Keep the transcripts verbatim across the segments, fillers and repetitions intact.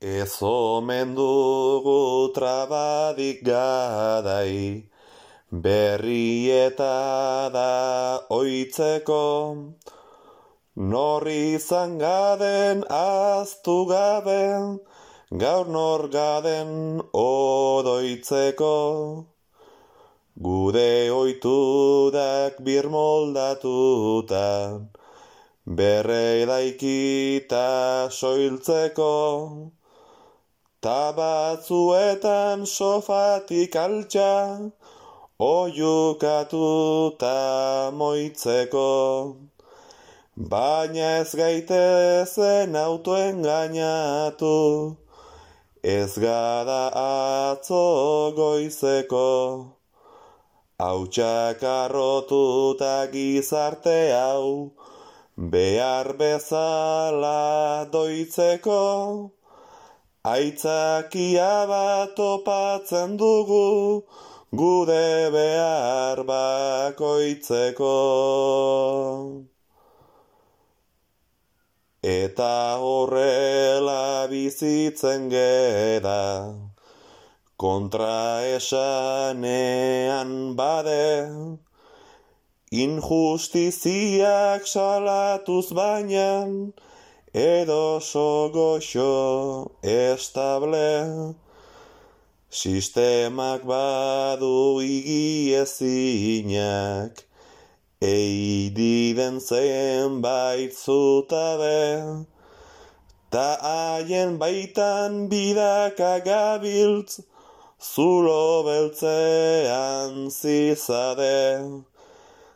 Ez omen dugu trabadik gadai, berrieta da oitzeko, nor izan gaden aztu gabe, gaur nor gaden odoitzeko. Gude oitudak birmoldatuta, berredaikita soiltzeko, ta batzuetan sofatik altxa, oiukatuta moitzeko. Baina ez gaitezen autoengainatu, ez gada atzo goizeko. Hautsak arrotuta gizarte hau, behar bezala doitzeko. Aitzakia bat topatzen dugu, gude behar bakoitzeko. Eta horrela bizitzen geda, kontra esanean bade, injustiziak salatuz bainan, edo sogoxo estable. Sistemak badu igiezinak, eididen zenbait zutabe, ta haien baitan bidaka gabiltz, zulo beltzean zizade.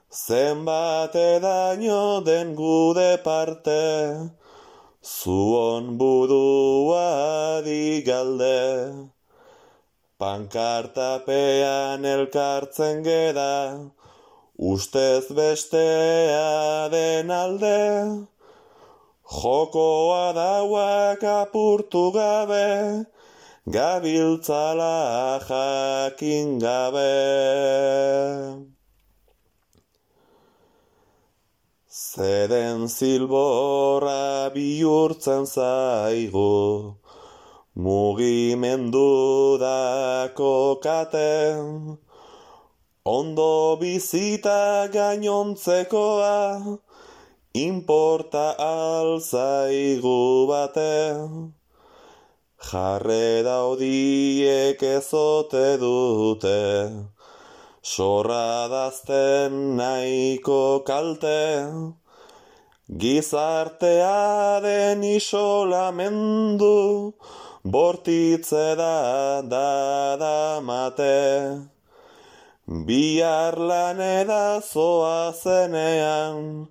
Zenbat edaino den gude parte, zuon budua digalde. Pankartapean elkartzen geda, ustez bestea den alde. Jokoa dauak apurtu gabe, gabiltzala jakin gabe. Zeden zilborra bihurtzen zaigu, mugimendu dako kate, ondo bizita gainontzekoa, inporta alzaigu bate. Jarre daudiek ezote dute, sorra dazten nahiko kalte, gizartearen isolamendu, bortitze da dadamate. Bihar lanera zoazenean,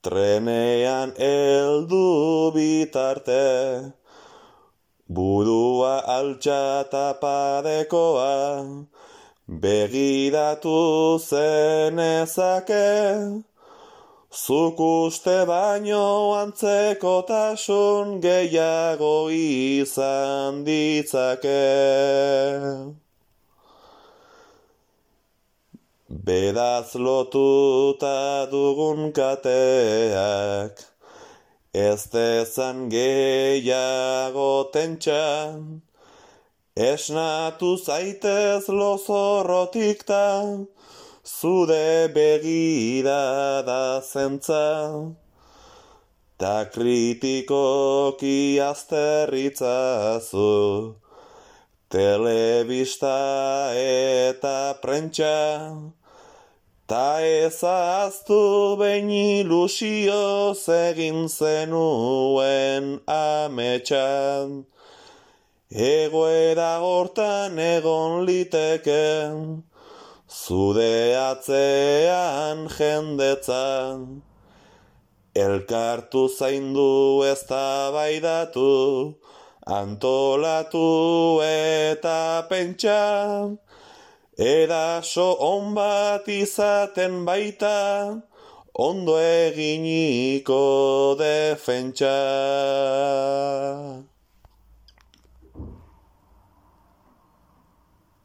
trenean heldu bitarte. Budua altxa tapadekoa, begiratu zenezake. Zuk uste baino antzekotasun gehiago izan ditzake. Bedaz lotuta dugun kateak, ez dezan gehiago tentxan, esnatu zaitez lozorrotik ta, zude begirada zentza, ta kritikoki azterritzazu, telebista eta prentsa, ta ezaztu behin ilusioz egin zenuen ametsan. Egoera hortan egon liteken, zude atzean jendetzan. Elkartu zaindu eztabaidatu, antolatu eta pentsa. Eraso on bat izaten baita, ondo eginiko defentsa.